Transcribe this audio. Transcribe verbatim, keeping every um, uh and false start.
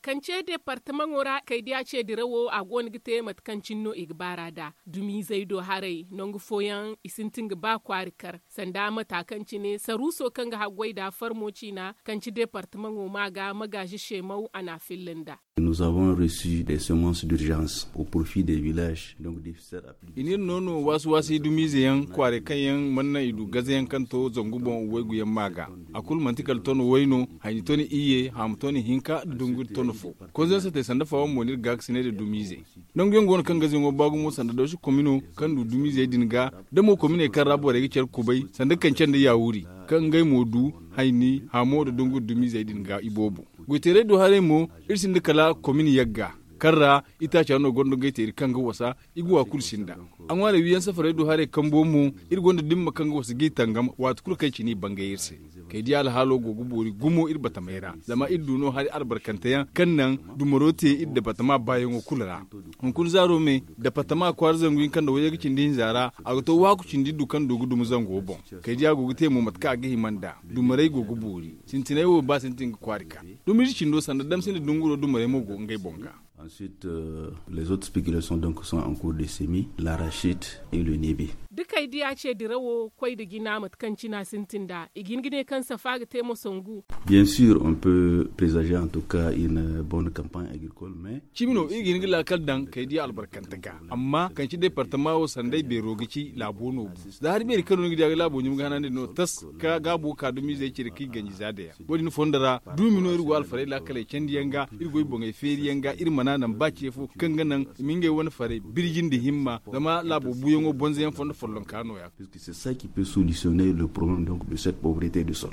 Kaŋ ce deepartamaŋo ra kaydiya ce dirawo a go no ga te mate kaŋ cine no i ga baar'a nd'a. Dumizey do haray nangu fooyaŋ i sintin ga ba kwaari kar sanda mata kaŋ cine saruuso kaŋ ga haggoy nd'a farmo ciina kaŋ ci deepartamaŋo ma ga magaazi seemaw a n'a filla nd'a. Nous avons reçu des semences d'urgence au profit des villages donc difficile. I n'iri no no waasi-waasi dumizey yaŋ kwaaray kaŋ yaŋ mana naŋ i du gaze yaŋ kaŋ to zangu boŋ waygu yaŋ ma ga. A kulu manti kala ton way no, hayni ton iyye, haamu ton hinka nda dungu ton fo. Konzensatey sanda fawa mo n'iri gaakasinay nda dumizey. Nangu yaŋ go no kaŋ gaze yaŋo ba gumo sanda dawsi komino kaŋ du dumizey din ga, da mo kominey kaŋ ra borey ga care kubay sanda kance nda yaawuri, kaŋ ngey mo du hayni haamo nda dungu dumizey din ga iboobo. Goyteeray do haray mo, iri sinda kala komini yagga kaŋ ra itaaca no gonda goyteeri kaŋ ga wasa. I ga wa kulu sinda. A ŋwaaray wiyaŋ safaray do haray kambo mo, iri gonda dimma kaŋ ga wasa g'i tangam waati kulu kaŋ i ci n'i bangay iri se. Kay di alhaalo go ga boori gumo iri batamay ra zama iri du no hari albarkante yaŋ kaŋ naŋ dumaro te iri dabatama baayaŋo kulu ra. Hunkuna zaaro me dabatama kwaara zangu hinka nda wayye ga cindi hinza ra, a ga to waaku cindi iri du kaŋ du ga dumi zango boŋ. Kay di a go ga te mo mate kaŋ a ga hima nd'a. Dumarey go ga boori. Sintiney wo ba sintin ga kwaari ka. Dumiri cindo sanda damsindi dunguro dumarey mo go ngey boŋ ga. Ensuite les autres spéculations donc sont en cours de semis, l'arachide et le niébé. Da kay diya ce dirawo koy nda jina mate kaŋ cina sintin nd'a i ga hin ga ne kaŋ safa ga te mo sangu. Bien sûr on peut présager en tout cas une bonne campagne agricole mais. Cimi no iri ga hin ga laakal daŋ kay diya albarkante ga. Amma kaŋ ci departama wo sanday beero ga ci laabo no bu za hari beeri kaŋ no ni ga diya ga laabo ɲum ga hanandi no tas ka gaabo ka dumizey cire kaŋ i ganji za day yaŋ. Wo- din fondo ra duumi no iri go alfarey laakaley candiyaŋ ga, iri goy boŋey feeriyaŋ ga iri mana naŋ ba ce fo kaŋ ga naŋ i ma ngey wane farey birji nda himma zama laabo buuyaŋo bonzoyaŋ fondo follonka no- ya. Puisque c'est ça qui peut solutionner le problème donc de cette pauvreté du sol.